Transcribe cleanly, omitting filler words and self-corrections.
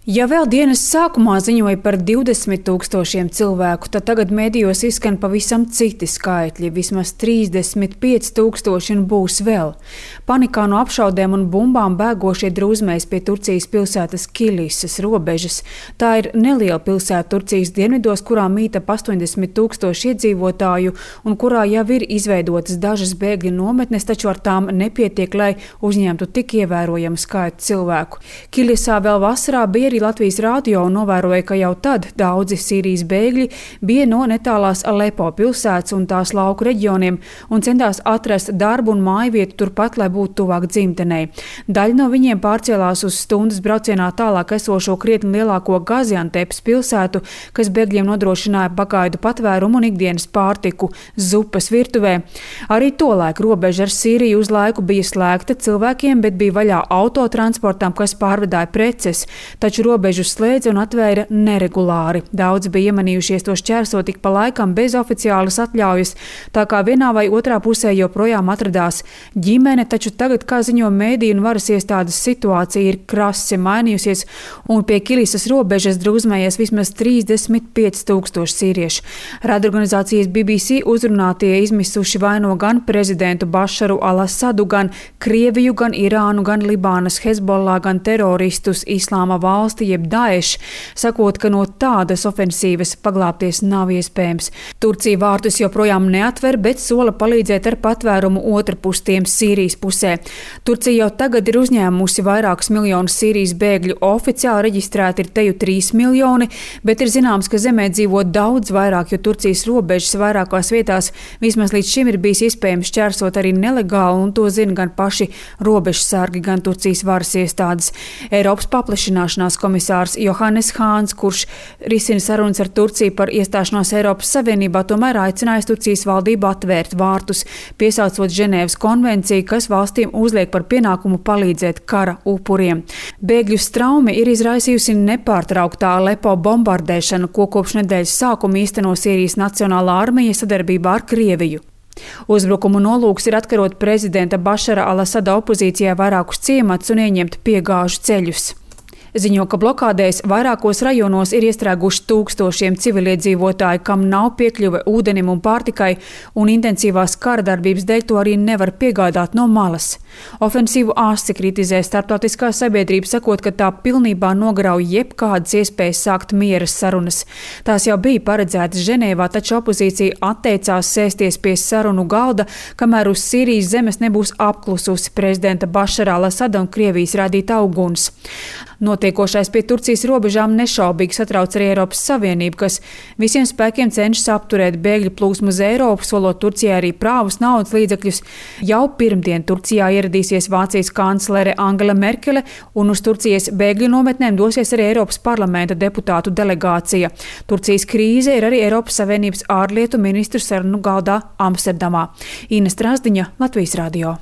Ja vēl dienas sākumā ziņoja par 20 000 cilvēku, tad tagad medijos izskan pavisam citi skaitļi. Vismaz 35 000 un būs vēl. Panikā no apšaudēm un bumbām bēgošie drūzmēs pie Turcijas pilsētas Kilisas robežas. Tā ir neliela pilsēta Turcijas dienvidos, kurā mīt ap 80 000 iedzīvotāju un kurā jau ir izveidotas dažas bēgļu nometnes, taču ar tām nepietiek, lai uzņemtu tik ievērojamu skaitu cilvēku. Kilisā vēl vasarā bija arī Latvijas radio un novēroja, ka jau tad daudzi Sīrijas bēgļi bija no netālās Alepo pilsētas un tās lauku reģioniem un centās atrast darbu un mājvietu turpat, lai būtu tuvāk dzimtenei. Daļa no viņiem pārcēlās uz stundas braucienā tālāk esošo krietni lielāko Gaziantepas pilsētu, kas bēgļiem nodrošināja pagaidu patvērumu un ikdienas pārtiku zupas virtuvē. Arī tolaik robeža ar Sīriju uz laiku bija slēgta cilvēkiem, bet bija vaļā autotransportam, kas pārvedāja preces, taču robežu slēdza un atvēra neregulāri. Daudzi bija iemanījušies to šķērsot tik pa laikam bez oficiālas atļaujas, tā kā vienā vai otrā pusē joprojām atradās ģimene, taču tagad, kā ziņo mēdīju un varas iestādes, situācija ir krasi mainījusies un pie Kilisas robežas drūzmējies vismaz 35 000 sīriešu. Radorganizācijas BBC uzrunātie izmisuši vaino gan prezidentu Bašaru al-Asadu, gan Krieviju, gan Irānu, gan Libānas Hezbollah, gan teroristus Islāma valsti jeb Daesh, sakot, ka no tādas ofensīvas paglābties nav iespējams. Turcija vārtus joprojām neatver, bet sola palīdzēt ar patvērumu otrpus tiem Sīrijas pusē. Turcija jau tagad ir uzņēmusi vairākus miljonus Sīrijas bēgļu, oficiāli reģistrēti ir teju 3 miljoni, bet ir zināms, ka zemē dzīvo daudz vairāk, jo Turcijas robežas vairākās vietās vismaz līdz šim ir bijis iespējams šķērsot arī nelegāli, un to zina gan paši robežsargi, gan Turcijas varas iestādes. Eiropas paplašināšanās komisārs Johannes Hāns, kurš risina sarunas ar Turciju par iestāšanos Eiropas Savienībā, tomēr aicinājis Turcijas valdību atvērt vārtus, piesaucot Ženēvas konvenciju, kas valstīm uzliek par pienākumu palīdzēt kara upuriem. Bēgļu straumi ir izraisījusi nepārtrauktā Alepo bombardēšana, ko kopš nedēļas sākuma īsteno Sīrijas Nacionālā armija sadarbībā ar Krieviju. Uzbrukumu nolūks ir atkarot prezidenta Bašara al-Asada opozīcijai vairākus ciematus un ieņemt piegāžu ceļus. Ziņo, ka blokādēs vairākos rajonos ir iestrēguši tūkstošiem civiliedzīvotāju, kam nav piekļuve ūdenim un pārtikai, un intensīvās kara darbības dēļ to arī nevar piegādāt no malas. Ofensīvu asi kritizē starptautiskā sabiedrība, sakot, ka tā pilnībā nograuj jebkādas iespējas sākt miera sarunas. Tās jau bija paredzētas Ženēvā, taču opozīcija atteicās sēsties pie sarunu galda, kamēr uz Sīrijas zemes nebūs apklususi prezidenta Bašara al-Asada un Krievijas rādītā uguns. Notiekošais pie Turcijas robežām nešaubīgi satrauc arī Eiropas Savienību, kas visiem spēkiem cenšas apturēt bēgļu plūsmu uz Eiropu, solot Turcijai arī prāvus naudas līdzekļus. Jau pirmdien Turcijā ieradīsies Vācijas kanclere Angela Merkele, un uz Turcijas bēgļu nometnēm dosies arī Eiropas parlamenta deputātu delegācija. Turcijas krīze ir arī Eiropas Savienības ārlietu ministru sarunu galdā Amsterdamā. Ina Strasdiņa, Latvijas radio.